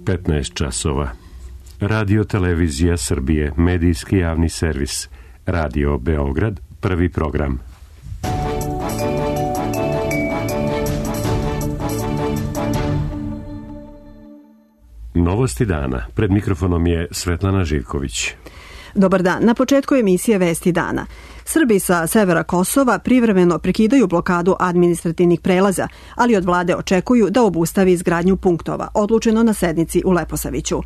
15 časova. Radio Televizija Srbije, medijski javni servis. Radio Beograd, prvi program. Novosti dana. Pred mikrofonom je Svetlana Živković. Dobar dan. Na početku emisije Vesti dana. Srbi sa severa Kosova privremeno prekidaju blokadu administrativnih prelaza, ali od vlade očekuju da obustavi izgradnju punktova, odlučeno na sednici u Leposaviću.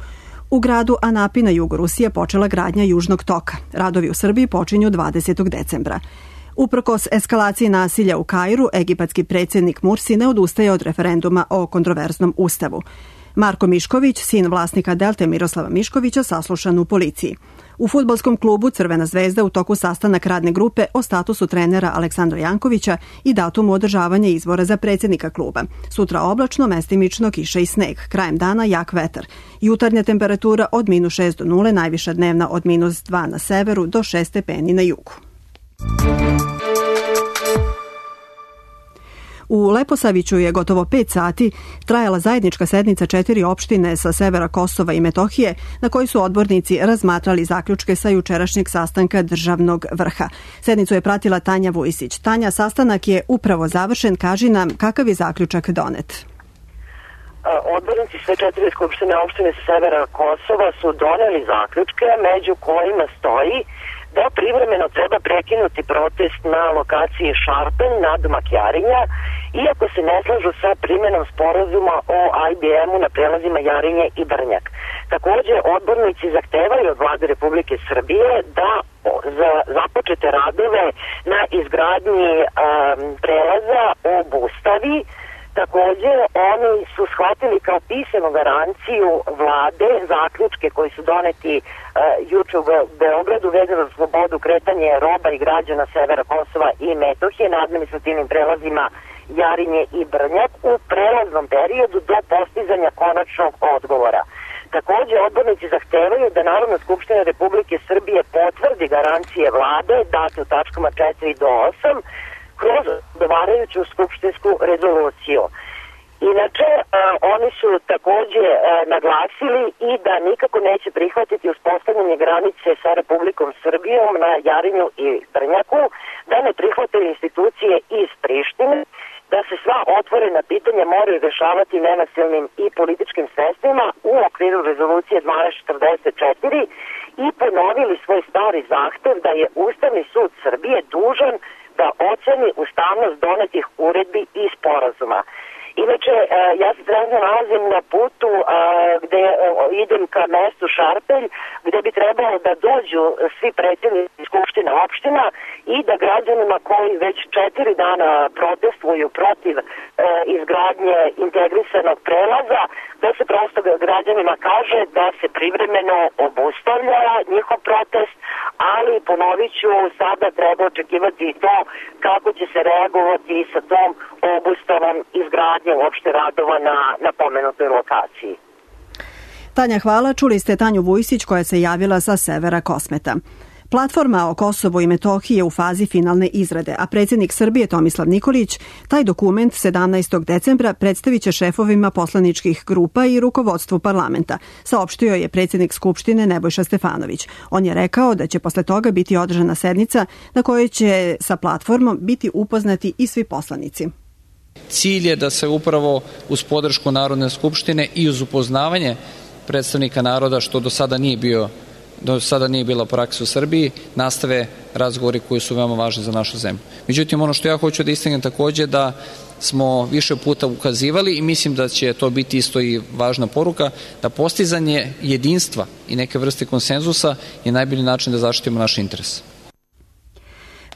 U gradu Anapi na jugu Rusije počela gradnja Južnog toka. Radovi u Srbiji počinju 20. decembra. Uprkos eskalaciji nasilja u Kairu, egipatski predsjednik Mursi ne odustaje od referenduma o kontroverznom ustavu. Marko Mišković, sin vlasnika Delte Miroslava Miškovića, saslušan u policiji. U fudbalskom klubu Crvena zvezda u toku sastanak radne grupe o statusu trenera Aleksandra Jankovića i datumu održavanja izbora za predsjednika kluba. Sutra oblačno, mestimično, kiša i sneg. Krajem dana jak vetar. Jutarnja temperatura od -6 do 0, najviša dnevna od -2 na severu do 6 stepeni na jugu. U Leposaviću je gotovo 5 sati trajala zajednička sednica 4 opštine sa severa Kosova i Metohije, na kojoj su odbornici razmatrali zaključke sa jučerašnjeg sastanka državnog vrha. Sednicu je pratila Tanja Vujisić. Tanja, sastanak je upravo završen. Kaži nam kakav je zaključak donet. Odbornici sve 4 skupštine opštine sa severa Kosova su doneli zaključke, među kojima stoji da privremeno treba prekinuti protest na lokaciji Šarpen nadomak Jarinja, iako se ne slažu sa primjenom sporazuma o IBM-u na prelazima Jarinje i Brnjak. Također, odbornici zahtevaju od vlade Republike Srbije da za započete radove na izgradnji prelaza obustavi. Također, oni su shvatili kao pisanu garanciju vlade zaključke koji su doneti juče u Beogradu vezano za slobodu kretanja roba i građana severa Kosova i Metohije na administrativnim prelazima Jarinje i Brnjak u prelaznom periodu do postizanja konačnog odgovora. Također, odbornici zahtevaju da Narodna skupština Republike Srbije potvrdi garancije vlade date u tačkama 4 do 8 kroz odgovarajuću skupštinsku rezoluciju. Inače, oni su također naglasili i da nikako neće prihvatiti uspostavljanje granice sa Republikom Srbijom na Jarinju i Brnjaku, da ne prihvataju institucije iz Prištine, da se sva otvorena pitanja moraju rešavati nenasilnim i političkim sredstvima u okviru rezolucije 1244 i ponovili svoj stari zahtev da je Ustavni sud Srbije dužan da oceni ustavnost donetih uredbi i sporazuma. Inače, ja se trenutno nalazim na putu gde idem ka mestu Šarpelj, gde bi trebalo da dođu svi predsjednici skupština opština i da građanima koji već 4 dana protestuju protiv izgradnje integrisanog prelaza, da se prosto građanima kaže da se privremeno obustavlja njihov protest, ali ponovit ću, sada treba očekivati i to kako će se reagovati sa tom obustavom izgradnje uopšte radova na pomenutoj lokaciji. Tanja, hvala. Čuli ste Tanju Vujsić koja se javila sa severa Kosmeta. Platforma o Kosovu i Metohiji je u fazi finalne izrade, a predsjednik Srbije Tomislav Nikolić taj dokument 17. decembra predstavit će šefovima poslaničkih grupa i rukovodstvu parlamenta, saopštio je predsjednik Skupštine Nebojša Stefanović. On je rekao da će posle toga biti održana sednica na kojoj će sa platformom biti upoznati i svi poslanici. Cilj je da se upravo uz podršku Narodne skupštine i uz upoznavanje predstavnika naroda, što do sada nije bila praksa u Srbiji, nastave razgovori koji su veoma važni za našu zemlju. Međutim, ono što ja hoću da istaknem također da smo više puta ukazivali i mislim da će to biti isto i važna poruka, da postizanje jedinstva i neke vrste konsenzusa je najbolji način da zaštitimo naš interes.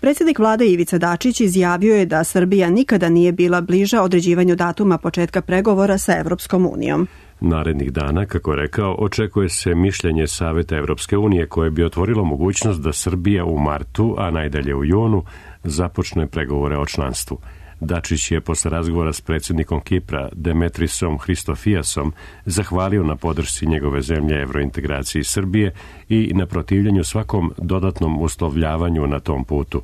Predsjednik vlade Ivica Dačić izjavio je da Srbija nikada nije bila bliža određivanju datuma početka pregovora sa Evropskom unijom. Narednih dana, kako je rekao, očekuje se mišljenje Saveta Evropske unije koje bi otvorilo mogućnost da Srbija u martu, a najdalje u junu, započne pregovore o članstvu. Dačić je posle razgovora s predsjednikom Kipra Demetrisom Hristofijasom zahvalio na podršci njegove zemlje evrointegraciji Srbije i na protivljenju svakom dodatnom uslovljavanju na tom putu.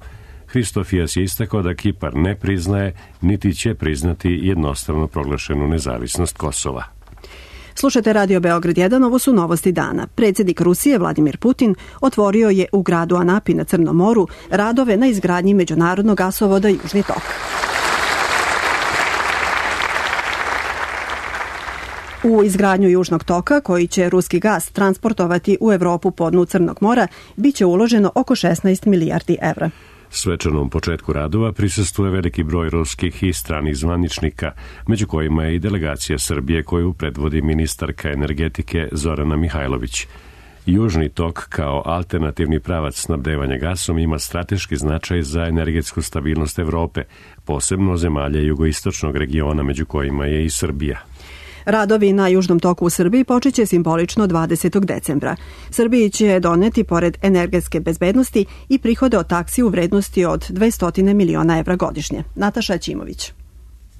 Hristofijas je istakao da Kipar ne priznaje, niti će priznati jednostavno proglašenu nezavisnost Kosova. Slušate Radio Beograd 1, ovo su novosti dana. Predsjednik Rusije Vladimir Putin otvorio je u gradu Anapi na Crnom moru radove na izgradnji međunarodnog gasovoda Južni tok. U izgradnju Južnog toka, koji će ruski gas transportovati u Evropu po dnu Crnog mora, biće uloženo oko 16 milijardi evra. Svečanom početku radova prisustvuje veliki broj ruskih i stranih zvaničnika, među kojima je i delegacija Srbije koju predvodi ministarka energetike Zorana Mihajlović. Južni tok kao alternativni pravac snabdevanja gasom ima strateški značaj za energetsku stabilnost Evrope, posebno zemalja jugoistočnog regiona, među kojima je i Srbija. Radovi na Južnom toku u Srbiji počeće simbolično 20. decembra. Srbiji će doneti, pored energetske bezbednosti, i prihode od taksi u vrednosti od 200 miliona evra godišnje. Nataša Ćimović.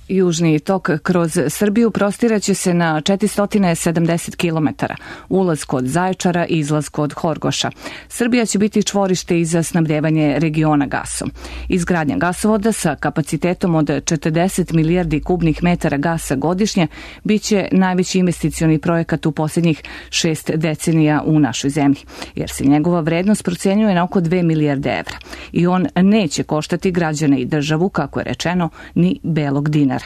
Južni tok kroz Srbiju prostiraće se na 470 km, ulaz kod Zaječara i izlaz kod Horgoša. Srbija će biti čvorište i za snabdevanje regiona gasom. Izgradnja gasovoda sa kapacitetom od 40 milijardi kubnih metara gasa godišnje biće najveći investicioni projekat u posljednjih 6 decenija u našoj zemlji, jer se njegova vrednost procenjuje na oko 2 milijarde evra. I on neće koštati građane i državu, kako je rečeno, ni belog dinara.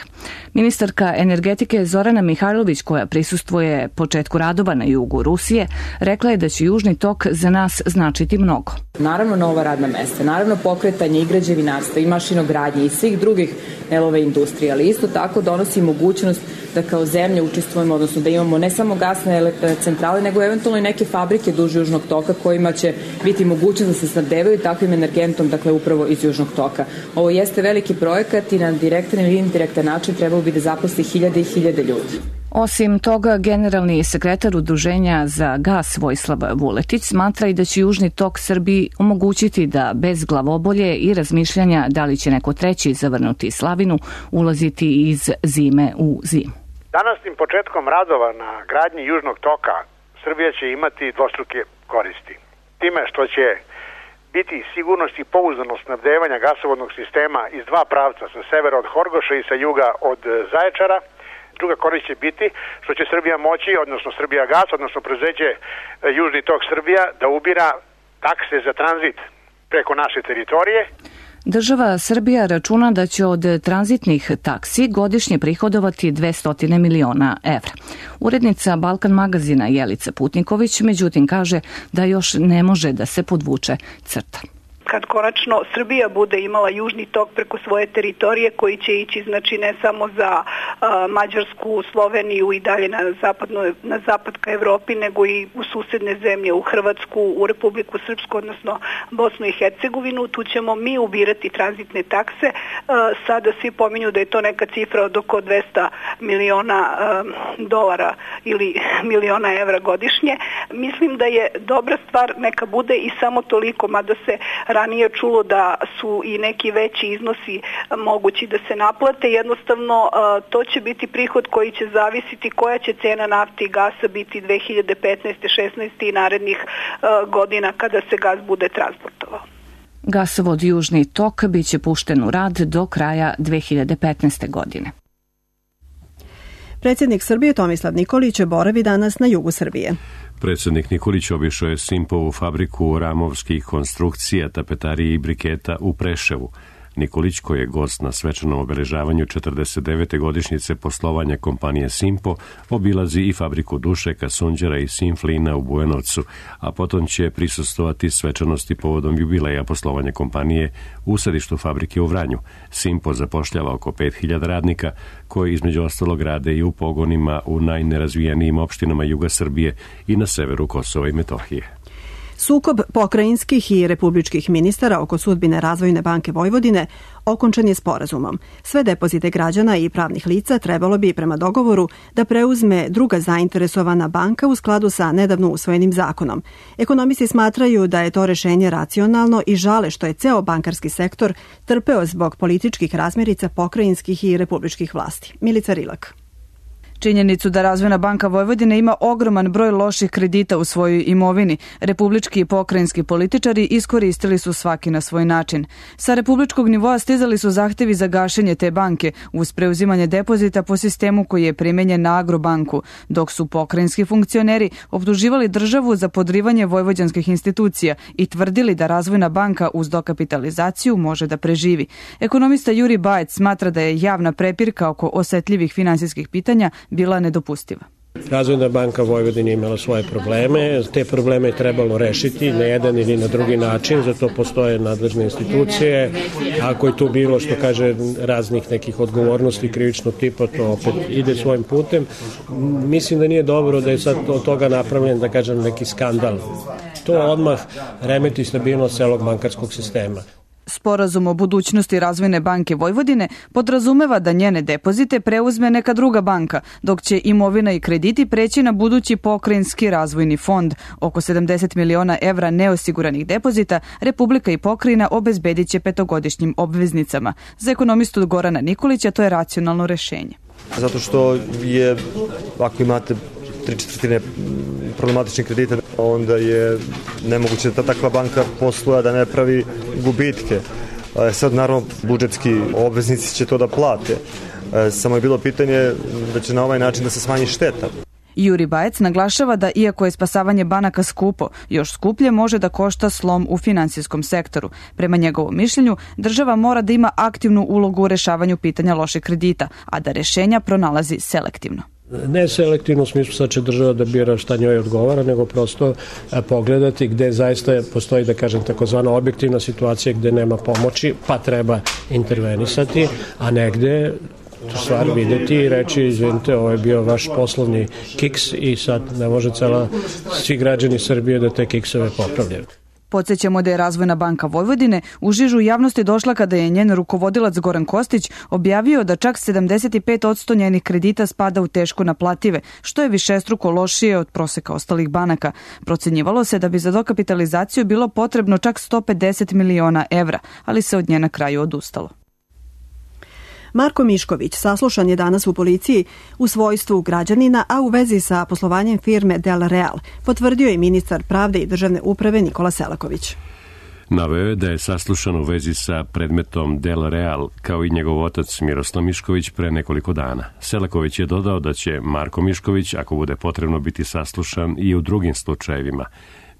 Ministarka energetike Zorana Mihajlović, koja prisustvuje početku radova na jugu Rusije, rekla je da će Južni tok za nas značiti mnogo. Naravno nova radna mesta, naravno pokretanje i građevinarstva i mašinogradnje i svih drugih delova industrije, ali isto tako donosi mogućnost da kao zemlja učestvujemo, odnosno da imamo ne samo gasne centrale, nego eventualno i neke fabrike duž Južnog toka kojima će biti mogućnost da se snabdevaju takvim energentom, dakle upravo iz Južnog toka. Ovo jeste veliki projekat i na direktan ili indirektan način trebalo bi da zaposli hiljade i hiljade ljudi. Osim toga, generalni sekretar Udruženja za gas Vojislav Vuletić smatra i da će Južni tok Srbiji omogućiti da bez glavobolje i razmišljanja da li će neko treći zavrnuti slavinu ulaziti iz zime u zimu. Današnjim početkom radova na gradnji Južnog toka Srbija će imati dvostruke koristi. Time što će biti sigurnost i pouzdanost snabdevanja gasovodnog sistema iz dva pravca, sa severa od Horgoša i sa juga od Zaječara. Druga korist će biti što će Srbija moći, odnosno Srbija gas, odnosno preduzeće Južni tok Srbija, da ubira takse za tranzit preko naše teritorije. Država Srbija računa da će od tranzitnih taksi godišnje prihodovati 200 miliona evra. Urednica Balkan magazina Jelica Putniković, međutim, kaže da još ne može da se podvuče crta. Kad konačno Srbija bude imala Južni tok preko svoje teritorije koji će ići znači ne samo za Mađarsku, Sloveniju i dalje na zapad ka Evropi, nego i u susedne zemlje, u Hrvatsku, u Republiku Srpsku, odnosno Bosnu i Hercegovinu, tu ćemo mi ubirati tranzitne takse. Sada svi pominju da je to neka cifra od oko 200 miliona dolara ili miliona evra godišnje. Mislim da je dobra stvar, neka bude i samo toliko, mada se ranije čulo da su i neki veći iznosi mogući da se naplate. Jednostavno to će biti prihod koji će zavisiti koja će cena nafte i gasa biti 2015. 16. i narednih godina kada se gas bude transportovao. Gasovod Južni tok biće pušten u rad do kraja 2015. godine. Predsjednik Srbije Tomislav Nikolić boravi danas na jugu Srbije. Predsjednik Nikolić obišao je Simpovu fabriku ramovskih konstrukcija, tapetarije i briketa u Preševu. Nikolić, koji je gost na svečanom obeležavanju 49. godišnjice poslovanja kompanije Simpo, obilazi i fabriku dušeka, sunđera i Simflina u Bujanovcu, a potom će prisustvovati svečanosti povodom jubileja poslovanja kompanije u sedištu fabrike u Vranju. Simpo zapošljava oko 5000 radnika, koji između ostalog rade i u pogonima u najnerazvijenijim opštinama juga Srbije i na severu Kosova i Metohije. Sukob pokrajinskih i republičkih ministara oko sudbine Razvojne banke Vojvodine okončan je sporazumom. Sve depozite građana i pravnih lica trebalo bi prema dogovoru da preuzme druga zainteresovana banka u skladu sa nedavno usvojenim zakonom. Ekonomisti smatraju da je to rešenje racionalno i žale što je ceo bankarski sektor trpeo zbog političkih razmirica pokrajinskih i republičkih vlasti. Milica Rilak. Činjenicu da Razvojna banka Vojvodine ima ogroman broj loših kredita u svojoj imovini, republički i pokrajinski političari iskoristili su svaki na svoj način. Sa republičkog nivoa stizali su zahtevi za gašenje te banke uz preuzimanje depozita po sistemu koji je primenjen na Agrobanku, dok su pokrajinski funkcioneri optuživali državu za podrivanje vojvođanskih institucija i tvrdili da Razvojna banka uz dokapitalizaciju može da preživi. Ekonomista Juri Bajec smatra da je javna prepirka oko osetljivih finansijskih pitanja bila nedopustiva. Razvojna banka Vojvodine imala svoje probleme, te probleme je trebalo rešiti na jedan ili na drugi način, zato postoje nadležne institucije. Ako je tu bilo, što kaže, raznih nekih odgovornosti krivičnog tipa, to opet ide svojim putem. Mislim da nije dobro da je sad od toga napravljen, da kažem, neki skandal. To odmah remeti stabilnost celog bankarskog sistema. Sporazum o budućnosti Razvojne banke Vojvodine podrazumeva da njene depozite preuzme neka druga banka, dok će imovina i krediti preći na budući pokrajinski razvojni fond. Oko 70 miliona evra neosiguranih depozita Republika i pokrajina obezbedit će petogodišnjim obveznicama. Za ekonomistu Gorana Nikolića to je racionalno rešenje. Zato što je, ako imate 3/4 problematičnih kredita, onda je nemoguće da takva banka posluje da ne pravi gubitke. Sad, naravno, budžetski obveznici će to da plate. Samo je bilo pitanje da će na ovaj način da se smanji šteta. Juri Bajec naglašava da iako je spasavanje banaka skupo, još skuplje može da košta slom u finansijskom sektoru. Prema njegovom mišljenju, država mora da ima aktivnu ulogu u rešavanju pitanja loših kredita, a da rešenja pronalazi selektivno. Ne selektivno u smislu sad će država da bira šta njoj odgovara, nego prosto pogledati gde zaista postoji, da kažem, takozvana objektivna situacija gde nema pomoći, pa treba intervenisati, a negde tu stvar videti i reći, izvinite, ovo je bio vaš poslovni kiks i sad ne može svi građani Srbije da te kiksove popravljaju. Podsjećamo da je Razvojna banka Vojvodine u žižu javnosti došla kada je njen rukovodilac Goran Kostić objavio da čak 75% njenih kredita spada u teško naplative, što je višestruko lošije od proseka ostalih banaka. Procenjivalo se da bi za dokapitalizaciju bilo potrebno čak 150 miliona evra, ali se od nje na kraju odustalo. Marko Mišković saslušan je danas u policiji u svojstvu građanina, a u vezi sa poslovanjem firme Del Real, potvrdio je ministar pravde i državne uprave Nikola Selaković. Naveo je da je saslušan u vezi sa predmetom Del Real, kao i njegov otac Miroslav Mišković pre nekoliko dana. Selaković je dodao da će Marko Mišković, ako bude potrebno, biti saslušan i u drugim slučajevima.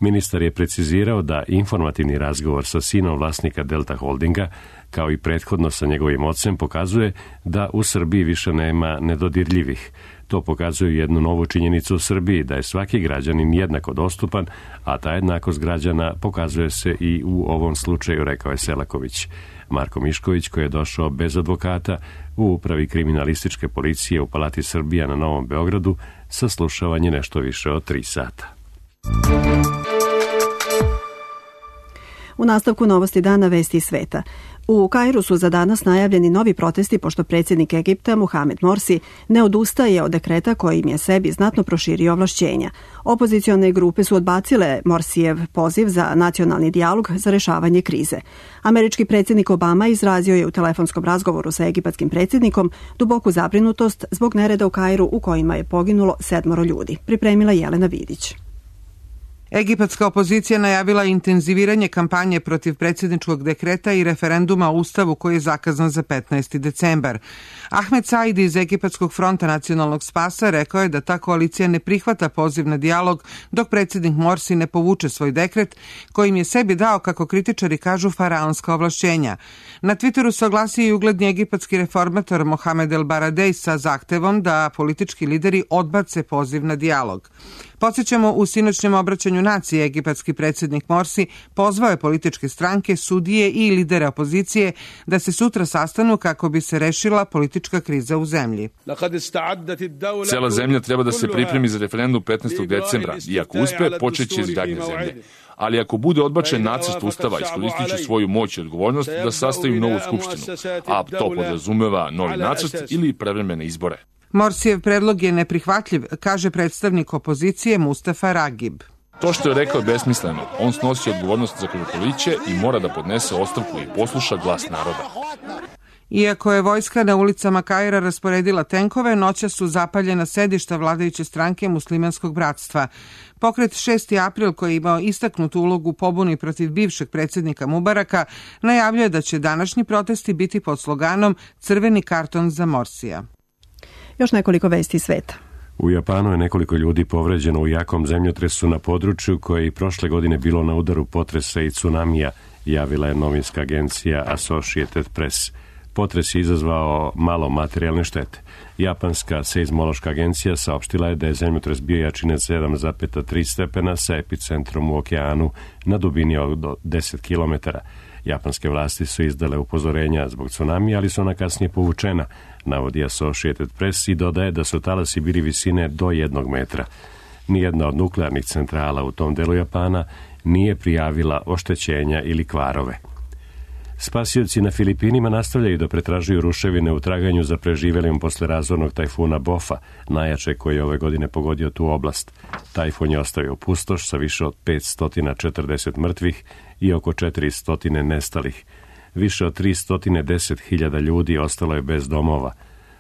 Ministar je precizirao da informativni razgovor sa sinom vlasnika Delta Holdinga, kao i prethodno sa njegovim ocem, pokazuje da u Srbiji više nema nedodirljivih. To pokazuje jednu novu činjenicu u Srbiji, da je svaki građanin jednako dostupan, a ta jednakost građana pokazuje se i u ovom slučaju, rekao je Selaković. Marko Mišković, koji je došao bez advokata u upravi kriminalističke policije u Palati Srbija na Novom Beogradu, saslušavan je nešto više od 3 sata. U nastavku novosti dana vesti sveta. U Kairu su za danas najavljeni novi protesti pošto predsjednik Egipta Mohamed Morsi ne odustaje od dekreta kojim je sebi znatno proširio ovlašćenja. Opozicione grupe su odbacile Morsijev poziv za nacionalni dijalog za rešavanje krize. Američki predsjednik Obama izrazio je u telefonskom razgovoru sa egipatskim predsjednikom duboku zabrinutost zbog nereda u Kairu u kojima je poginulo 7 ljudi. Pripremila Jelena Vidić. Egipatska opozicija najavila intenziviranje kampanje protiv predsjedničkog dekreta i referenduma o Ustavu koji je zakazan za 15. decembar. Ahmed Said iz Egipatskog fronta nacionalnog spasa rekao je da ta koalicija ne prihvata poziv na dijalog dok predsjednik Morsi ne povuče svoj dekret kojim je sebi dao, kako kritičari kažu, faraonska ovlašćenja. Na Twitteru se oglasio i ugledni egipatski reformator Mohamed El Baradej sa zahtevom da politički lideri odbace poziv na dijalog. Podsjećamo, u sinoćnjem obraćanju naciji egipatski predsjednik Morsi pozvao je političke stranke, sudije i lidere opozicije da se sutra sastanu kako bi se rešila politička kriza u zemlji. Cela zemlja treba da se pripremi za referendum 15. decembra i ako uspe, počeće izgradnja zemlje. Ali ako bude odbačen nacrt Ustava, iskoristit će svoju moć i odgovornost da sastaju novu skupštinu, a to podrazumeva novi nacrt ili prevremene izbore. Morsijev predlog je neprihvatljiv, kaže predstavnik opozicije Mustafa Ragib. To što je rekao je besmisleno. On snosi odgovornost za krvoproliće i mora da podnese ostavku i posluša glas naroda. Iako je vojska na ulicama Kaira rasporedila tenkove, noćas su zapaljena sedišta vladajuće stranke Muslimanskog bratstva. Pokret 6. april, koji je imao istaknutu ulogu u pobuni protiv bivšeg predsjednika Mubaraka, najavljuje da će današnji protesti biti pod sloganom Crveni karton za Morsija. Još nekoliko vesti sveta. U Japanu je nekoliko ljudi povređeno u jakom zemljotresu na području koje je i prošle godine bilo na udaru potresa i tsunamija, javila je novinska agencija Associated Press. Potres je izazvao malo materijalne štete. Japanska seizmološka agencija saopštila je da je zemljotres bio jačine 7,3 stepena sa epicentrom u okeanu na dubini od 10 km. Japanske vlasti su izdale upozorenja zbog tsunamija, ali su ona kasnije povučena, navodi Associated Press i dodaje da su talasi bili visine do 1 metra. Nijedna od nuklearnih centrala u tom delu Japana nije prijavila oštećenja ili kvarove. Spasioci na Filipinima nastavljaju da pretražuju ruševine u traganju za preživelim posle razornog tajfuna Bofa, najjače koji je ove godine pogodio tu oblast. Tajfun je ostavio pustoš sa više od 540 mrtvih i oko 400 nestalih. Više od 310.000 ljudi ostalo je bez domova.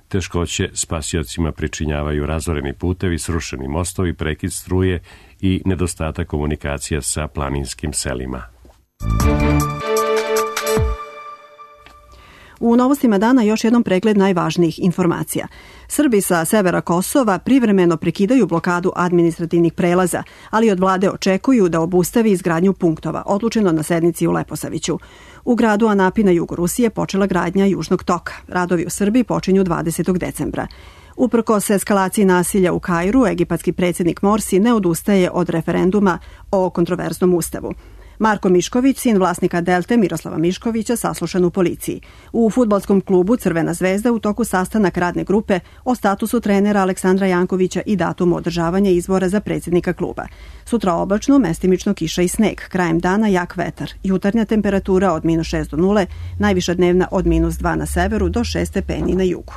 Teškoće spasiocima pričinjavaju razoreni putevi, srušeni mostovi, prekid struje i nedostatak komunikacija sa planinskim selima. U novostima dana još jednom pregled najvažnijih informacija. Srbi sa severa Kosova privremeno prekidaju blokadu administrativnih prelaza, ali od vlade očekuju da obustavi izgradnju punktova, odlučeno na sednici u Leposaviću. U gradu Anapi na jugu Rusije počela gradnja Južnog toka. Radovi u Srbiji počinju 20. decembra. Uprkos eskalaciji nasilja u Kairu, egipatski predsjednik Morsi ne odustaje od referenduma o kontroverznom ustavu. Marko Mišković, sin vlasnika Delte Miroslava Miškovića, saslušan u policiji. U fudbalskom klubu Crvena zvezda u toku sastanak radne grupe o statusu trenera Aleksandra Jankovića i datumu održavanja izbora za predsjednika kluba. Sutra oblačno, mestimično kiša i sneg. Krajem dana jak vetar. Jutarnja temperatura od -6 do 0, najviša dnevna od -2 na severu do 6 stepeni na jugu.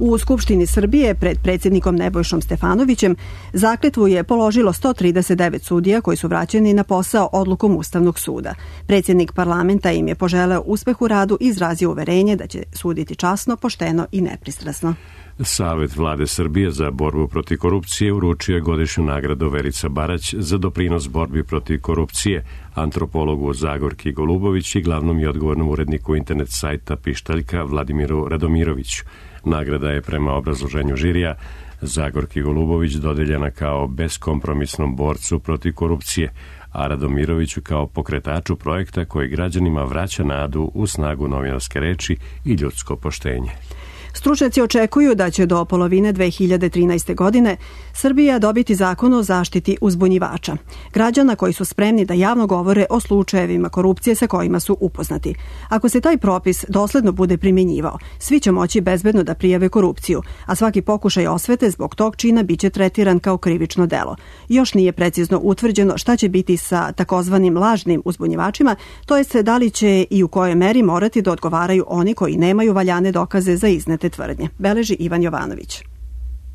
U Skupštini Srbije pred predsjednikom Nebojšom Stefanovićem zakletvu je položilo 139 sudija koji su vraćeni na posao odlukom Ustavnog suda. Predsjednik parlamenta im je poželeo uspeh u radu i izrazio uverenje da će suditi časno, pošteno i nepristrasno. Savet vlade Srbije za borbu protiv korupcije uručio je godišnju nagradu Verica Barać za doprinos borbi protiv korupcije, antropologu Zagorki Golubović i glavnom i odgovornom uredniku internet sajta Pištaljka Vladimiru Radomiroviću. Nagrada je prema obrazloženju žirija Zagorki Golubović dodeljena kao beskompromisnom borcu protiv korupcije, a Radomiroviću kao pokretaču projekta koji građanima vraća nadu u snagu novinarske reči i ljudsko poštenje. Stručnjaci očekuju da će do polovine 2013. godine Srbija dobiti zakon o zaštiti uzbunjivača, građana koji su spremni da javno govore o slučajevima korupcije sa kojima su upoznati. Ako se taj propis dosledno bude primjenjivao, svi će moći bezbedno da prijave korupciju, a svaki pokušaj osvete zbog tog čina biće tretiran kao krivično delo. Još nije precizno utvrđeno šta će biti sa takozvanim lažnim uzbunjivačima, to jest da li će i u kojoj meri morati da odgovaraju oni koji nemaju valjane dokaze za iznete tvrdnje, beleži Ivan Jovanović.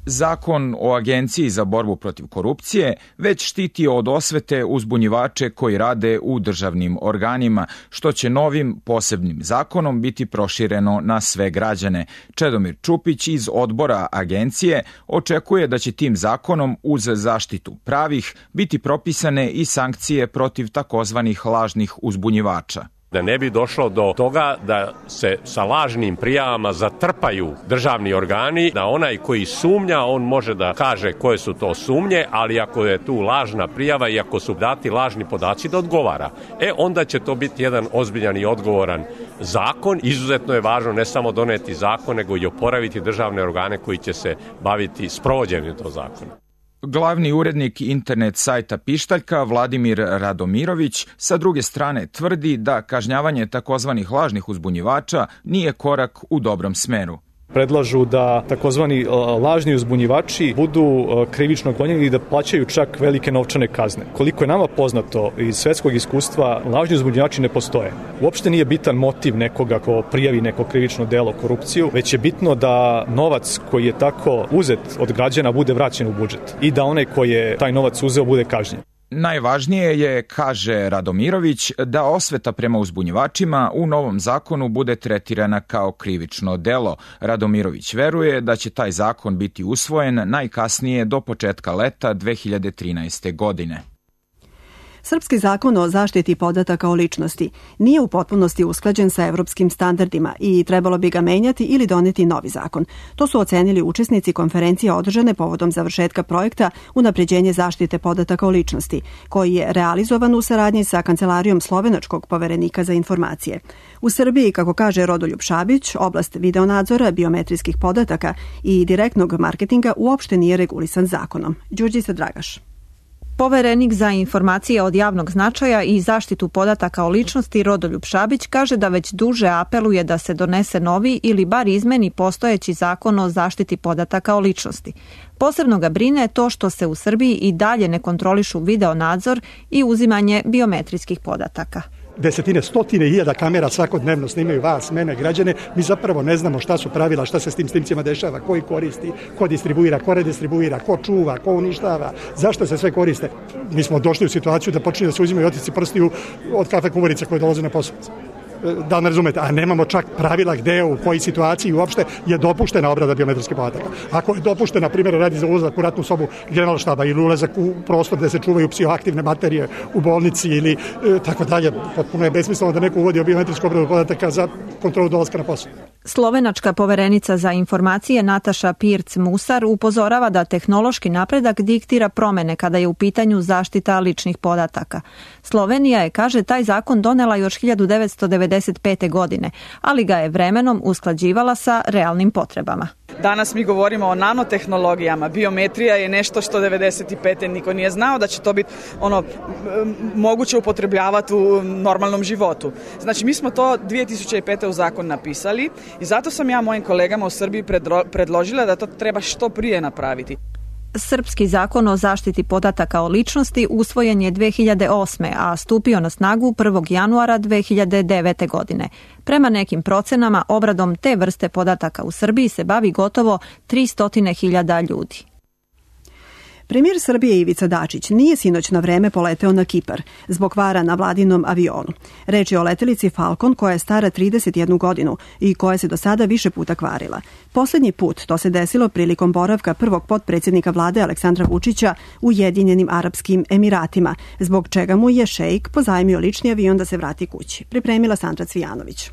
Zakon o Agenciji za borbu protiv korupcije već štiti od osvete uzbunjivače koji rade u državnim organima, što će novim posebnim zakonom biti prošireno na sve građane. Čedomir Čupić iz odbora Agencije očekuje da će tim zakonom uz zaštitu pravih biti propisane i sankcije protiv takozvanih lažnih uzbunjivača. Da ne bi došlo do toga da se sa lažnim prijavama zatrpaju državni organi, da onaj koji sumnja, on može da kaže koje su to sumnje, ali ako je tu lažna prijava i ako su dati lažni podaci, da odgovara. Onda će to biti jedan ozbiljan i odgovoran zakon. Izuzetno je važno ne samo doneti zakon, nego i oporaviti državne organe koji će se baviti sprovođenjem tog zakona. Glavni urednik internet sajta Pištaljka Vladimir Radomirović sa druge strane tvrdi da kažnjavanje takozvanih lažnih uzbunjivača nije korak u dobrom smeru. Predlažu da takozvani lažni uzbunjivači budu krivično gonjeni i da plaćaju čak velike novčane kazne. Koliko je nama poznato iz svetskog iskustva, lažni uzbunjivači ne postoje. Uopšte nije bitan motiv nekoga ko prijavi neko krivično delo, korupciju, već je bitno da novac koji je tako uzet od građana bude vraćen u budžet i da onaj koji je taj novac uzeo bude kažnjen. Najvažnije je, kaže Radomirović, da osveta prema uzbunjivačima u novom zakonu bude tretirana kao krivično delo. Radomirović veruje da će taj zakon biti usvojen najkasnije do početka leta 2013. godine. Srpski zakon o zaštiti podataka o ličnosti nije u potpunosti usklađen sa evropskim standardima i trebalo bi ga menjati ili doneti novi zakon. To su ocenili učesnici konferencije održane povodom završetka projekta Unapređenje zaštite podataka o ličnosti, koji je realizovan u saradnji sa Kancelarijom slovenačkog poverenika za informacije. U Srbiji, kako kaže Rodoljub Šabić, oblast videonadzora, biometrijskih podataka i direktnog marketinga uopšte nije regulisan zakonom. Đurđica Dragaš. Poverenik za informacije od javnog značaja i zaštitu podataka o ličnosti Rodoljub Šabić kaže da već duže apeluje da se donese novi ili bar izmeni postojeći zakon o zaštiti podataka o ličnosti. Posebno ga brine to što se u Srbiji i dalje ne kontrolišu videonadzor i uzimanje biometrijskih podataka. Desetine, stotine hiljada kamera svakodnevno snimaju vas, mene, građane. Mi zapravo ne znamo šta su pravila, šta se s tim snimcima dešava, ko ih koristi, ko distribuira, ko redistribuira, ko čuva, ko uništava, zašto se sve koriste. Mi smo došli u situaciju da počinju da se uzimaju otisci prstiju od kafe kuvarica koje dolaze na posao. Da ne razumete, a nemamo čak pravila gde, u kojoj situaciji uopšte je dopuštena obrada biometrijskih podataka. Ako je dopuštena, na primjer, radi za ulazak u ratnu sobu generalštaba ili ulazak u prostor gde se čuvaju psihoaktivne materije u bolnici ili tako dalje, potpuno je besmisleno da neko uvodi biometrijsku obradu podataka za kontrolu dolaska na posao. Slovenačka poverenica za informacije Nataša Pirc-Musar upozorava da tehnološki napredak diktira promene kada je u pitanju zaštita ličnih podataka. Slovenija je, kaže, taj zakon donela još 1995. godine, ali ga je vremenom usklađivala sa realnim potrebama. Danas mi govorimo o nanotehnologijama. Biometrija je nešto što 95. niko nije znao da će to biti moguće upotrebljavati u normalnom životu. Znači, mi smo to 2005. u zakon napisali i zato sam ja mojim kolegama u Srbiji predložila da to treba što prije napraviti. Srpski zakon o zaštiti podataka o ličnosti usvojen je 2008. a stupio na snagu 1. januara 2009. godine. Prema nekim procenama, obradom te vrste podataka u Srbiji se bavi gotovo 300.000 ljudi. Premijer Srbije Ivica Dačić nije sinoć na vreme poleteo na Kipar zbog kvara na vladinom avionu. Reč je o letelici Falcon koja je stara 31 godinu i koja se do sada više puta kvarila. Poslednji put to se desilo prilikom boravka prvog potpredsjednika vlade Aleksandra Vučića u Ujedinjenim Arapskim Emiratima, zbog čega mu je šejk pozajmio lični avion da se vrati kući. Pripremila Sandra Cvijanović.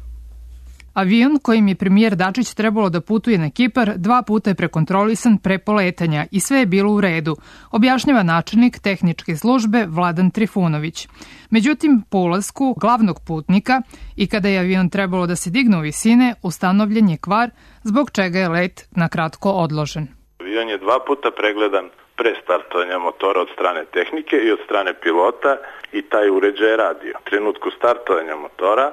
Avion kojim je premijer Dačić trebalo da putuje na Kipar 2 puta je prekontrolisan pre poletanja i sve je bilo u redu, objašnjava načelnik tehničke službe Vladan Trifunović. Međutim, po ulasku glavnog putnika i kada je avion trebalo da se digne u visine, ustanovljen je kvar, zbog čega je let na kratko odložen. Avion je 2 puta pregledan pre startovanja motora od strane tehnike i od strane pilota i taj uređaj je radio. U trenutku startovanja motora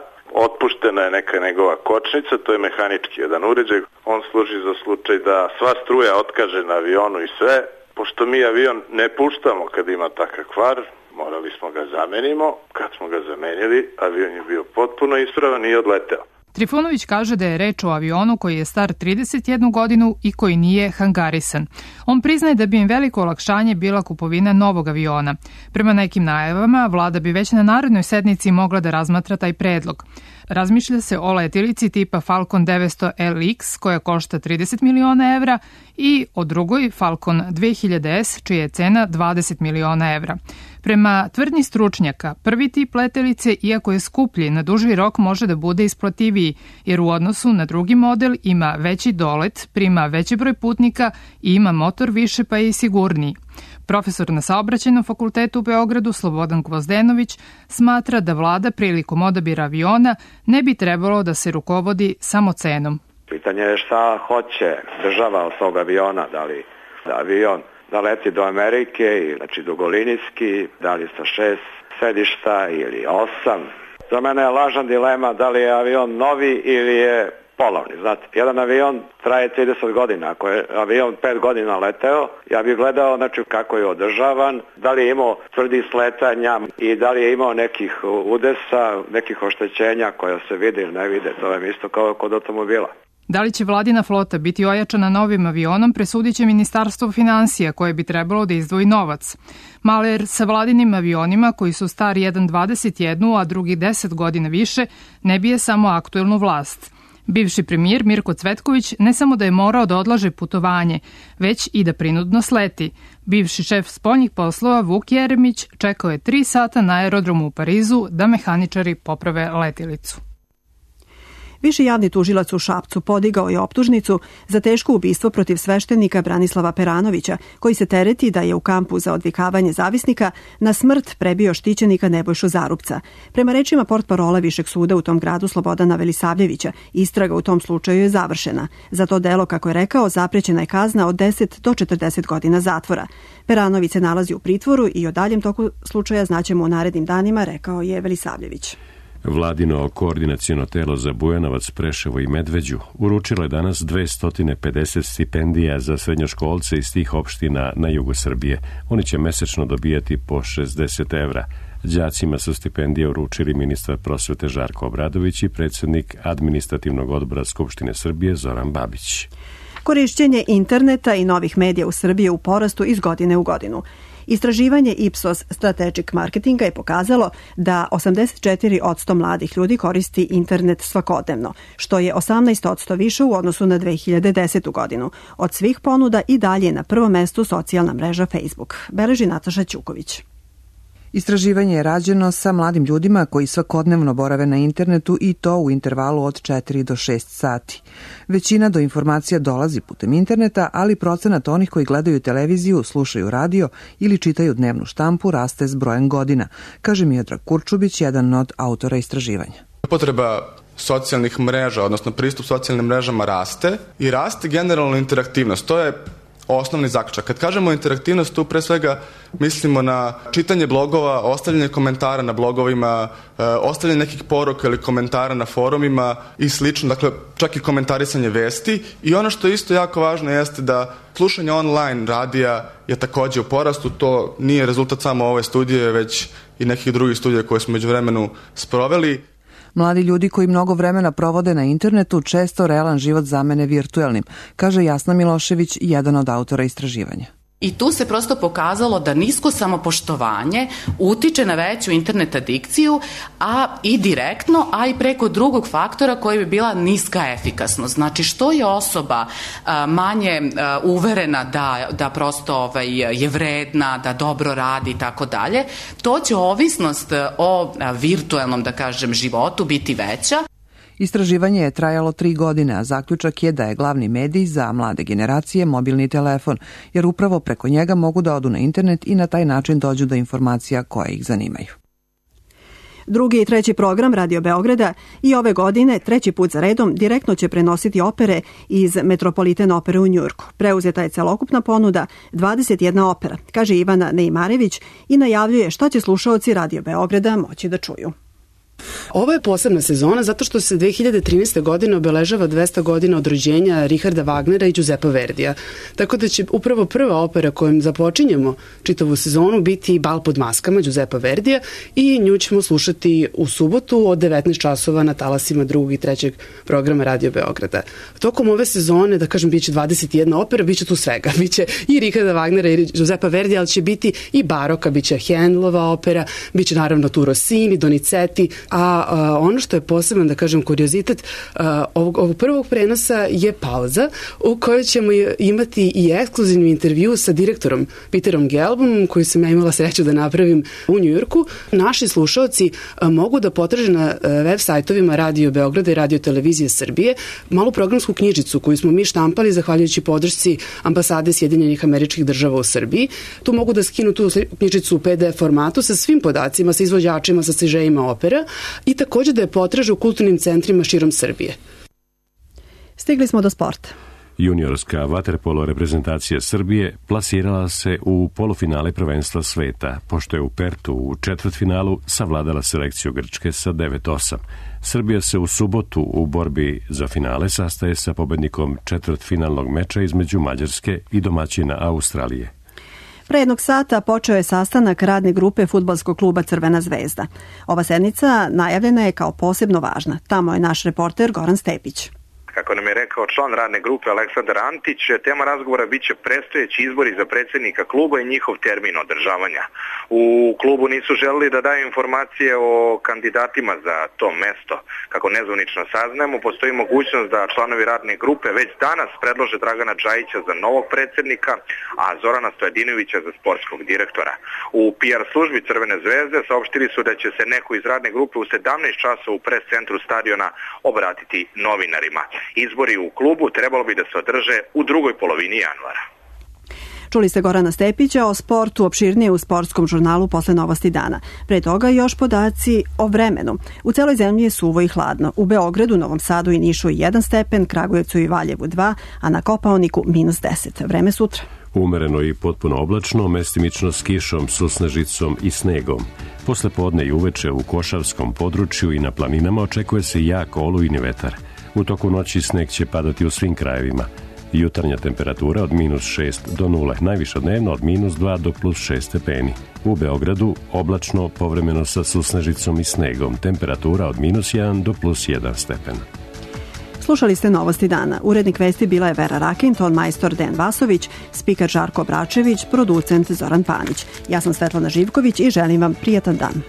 otpuštena je neka njegova kočnica, to je mehanički jedan uređaj. On služi za slučaj da sva struja otkaže na avionu i sve. Pošto mi avion ne puštamo kad ima takav kvar, morali smo ga zamenimo. Kad smo ga zamenili, avion je bio potpuno ispravan i odleteo. Trifunović kaže da je reč o avionu koji je star 31 godinu i koji nije hangarisan. On priznaje da bi im veliko olakšanje bila kupovina novog aviona. Prema nekim najavama, vlada bi već na narednoj sednici mogla da razmatra taj predlog. Razmišlja se o letilici tipa Falcon 900 LX koja košta 30 miliona evra i o drugoj Falcon 2000S čija je cena 20 miliona evra. Prema tvrdnji stručnjaka, prvi tip letelice, iako je skuplji, na duži rok može da bude isplativiji, jer u odnosu na drugi model ima veći dolet, prima veći broj putnika i ima motor više pa je i sigurniji. Profesor na Saobraćajnom fakultetu u Beogradu Slobodan Gvozdenović smatra da vlada prilikom odabira aviona ne bi trebalo da se rukovodi samo cenom. Pitanje je šta hoće država od tog aviona, da li avion da leti do Amerike, znači dugolinijski, da li sa 6 sedišta ili 8. Za mene je lažna dilema da li je avion novi ili je polovni. Znate, jedan avion traje 30 godina. Ako je avion 5 godina leteo, ja bih gledao znači, kako je održavan, da li je imao tvrdi sletanja i da li je imao nekih udesa, nekih oštećenja koja se vide ili ne vide. To je isto kao kod automobila. Da li će vladina flota biti ojačana novim avionom, presudit će Ministarstvo finansija, koje bi trebalo da izdvoji novac. Maler sa vladinim avionima, koji su stari jedan 21, a drugi 10 godina više, ne bije samo aktuelnu vlast. Bivši premijer Mirko Cvetković ne samo da je morao da odlaže putovanje, već i da prinudno sleti. Bivši šef spoljnih poslova Vuk Jeremić čekao je 3 sata na aerodromu u Parizu da mehaničari poprave letilicu. Viši javni tužilac u Šapcu podigao je optužnicu za teško ubistvo protiv sveštenika Branislava Peranovića, koji se tereti da je u kampu za odvikavanje zavisnika na smrt prebio štićenika Nebojšu Zarupca. Prema rečima portparola Višeg suda u tom gradu Slobodana Velisavljevića, istraga u tom slučaju je završena. Za to delo, kako je rekao, zaprećena je kazna od 10 do 40 godina zatvora. Peranović se nalazi u pritvoru i o daljem toku slučaja znaćemo u narednim danima, rekao je Velisavljević. Vladino koordinaciono telo za Bujanovac, Preševo i Medveđu uručilo je danas 250 stipendija za srednjoškolce iz tih opština na jugu Srbije. Oni će mesečno dobijati po 60 evra. Đacima su stipendije uručili ministar prosvete Žarko Obradović i predsjednik administrativnog odbora Skupštine Srbije Zoran Babić. Korišćenje interneta i novih medija u Srbiji je u porastu iz godine u godinu. Istraživanje Ipsos Strategic Marketinga je pokazalo da 84% mladih ljudi koristi internet svakodnevno, što je 18% više u odnosu na 2010. godinu. Od svih ponuda i dalje na prvom mestu socijalna mreža Facebook, beleži Nataša Ćuković. Istraživanje je rađeno sa mladim ljudima koji svakodnevno borave na internetu i to u intervalu od 4 do 6 sati. Većina do informacija dolazi putem interneta, ali procenat onih koji gledaju televiziju, slušaju radio ili čitaju dnevnu štampu raste s brojem godina, kaže Miodrag Kurčubić, jedan od autora istraživanja. Potreba socijalnih mreža, odnosno pristup socijalnim mrežama raste i raste generalno interaktivnost. To je osnovni zaključak. Kad kažemo interaktivnost, tu pre svega mislimo na čitanje blogova, ostavljanje komentara na blogovima, ostavljanje nekih poruka ili komentara na forumima i slično, dakle čak i komentarisanje vesti. I ono što je isto jako važno jeste da slušanje online radija je takođe u porastu. To nije rezultat samo ove studije, već i nekih drugih studija koje smo međuvremenu sproveli. Mladi ljudi koji mnogo vremena provode na internetu često realan život zamene virtuelnim, kaže Jasna Milošević, jedan od autora istraživanja. I tu se prosto pokazalo da nisko samopoštovanje utiče na veću internet adikciju, a i direktno, a i preko drugog faktora koji bi bila niska efikasnost. Znači, što je osoba manje uverena da prosto je vredna, da dobro radi i tako dalje, to će ovisnost o virtuelnom, da kažem, životu biti veća. Istraživanje je trajalo 3 godine, a zaključak je da je glavni medij za mlade generacije mobilni telefon, jer upravo preko njega mogu da odu na internet i na taj način dođu do informacija koje ih zanimaju. Drugi i treći program Radio Beograda i ove godine, 3. put za redom, direktno će prenositi opere iz Metropolitan opere u Njujorku. Preuzeta je celokupna ponuda 21 opera, kaže Ivana Neimarević i najavljuje šta će slušaoci Radio Beograda moći da čuju. Ovo je posebna sezona zato što se 2013. godine obeležava 200 godina od rođenja Richarda Wagnera i Giuseppa Verdija. Tako da će upravo prva opera kojom započinjemo čitavu sezonu biti Bal pod maskama Giuseppa Verdija i nju ćemo slušati u subotu od 19 časova na talasima 2. i 3. programa Radio Beograda. Tokom ove sezone, da kažem, biće 21 opera, biće tu svega. Biće i Richarda Wagnera i Giuseppa Verdija, ali će biti i baroka, biće Handelova opera, biće naravno tu Rossini, Donizetti, a ono što je poseban, da kažem, kuriozitet ovog prvog prenosa je pauza u kojoj ćemo imati i ekskluzivni intervju sa direktorom Peterom Gelbom, koji sam ja imala sreću da napravim u Njujorku. Naši slušaoci mogu da potraže na web sajtovima Radio Beograda i Radio Televizije Srbije malu programsku knjižicu koju smo mi štampali zahvaljujući podršci ambasade Sjedinjenih Američkih Država u Srbiji. Tu mogu da skinu tu knjižicu u PDF formatu sa svim podacima, sa izvođačima, sa stižejima opera i takođe da je potraže u kulturnim centrima širom Srbije. Stigli smo do sporta. Juniorska vaterpolo reprezentacija Srbije plasirala se u polufinale prvenstva sveta, pošto je u Pertu u četvrtfinalu savladala selekciju Grčke sa 9-8. Srbija se u subotu u borbi za finale sastaje sa pobednikom četvrtfinalnog meča između Mađarske i domaćina Australije. Pre jednog sata počeo je sastanak radne grupe fudbalskog kluba Crvena zvezda. Ova sednica najavljena je kao posebno važna. Tamo je naš reporter Goran Stepić. Kako nam je rekao član radne grupe Aleksandar Antić, tema razgovora biće predstojeći izbori za predsjednika kluba i njihov termin održavanja. U klubu nisu želeli da daju informacije o kandidatima za to mesto. Kako nezvanično saznajemo, postoji mogućnost da članovi radne grupe već danas predlože Dragana Džajića za novog predsjednika, a Zorana Stojadinovića za sportskog direktora. U PR službi Crvene zvezde saopštili su da će se neko iz radne grupe u 17 časova u pres centru stadiona obratiti novinarima. Izbori u klubu trebalo bi da se održe u drugoj polovini januara. Čuli ste Gorana Stepića o sportu opširnije u sportskom žurnalu posle Novosti dana. Pre toga još podaci o vremenu. U celoj zemlji je suvo i hladno. U Beogradu, Novom Sadu i Nišu 1 stepen, Kragujevcu i Valjevu 2, a na Kopaoniku -10. Vreme sutra. Umereno i potpuno oblačno, mestimično s kišom, susnežicom i snegom. Posle podne i uveče u Košavskom području i na planinama očekuje se jak olujni vetar. U toku noći sneg će padati u svim krajevima. Jutarnja temperatura od -6 do 0, najviša dnevno od -2 do +6 stepeni. U Beogradu oblačno, povremeno sa susnežicom i snegom, temperatura od -1 do +1 stepen. Slušali ste Novosti dana. Urednik vesti bila je Vera Rakin, ton majstor Dejan Vasović, spiker Žarko Bračević, producent Zoran Panić. Ja sam Svetlana Živković i želim vam prijatan dan.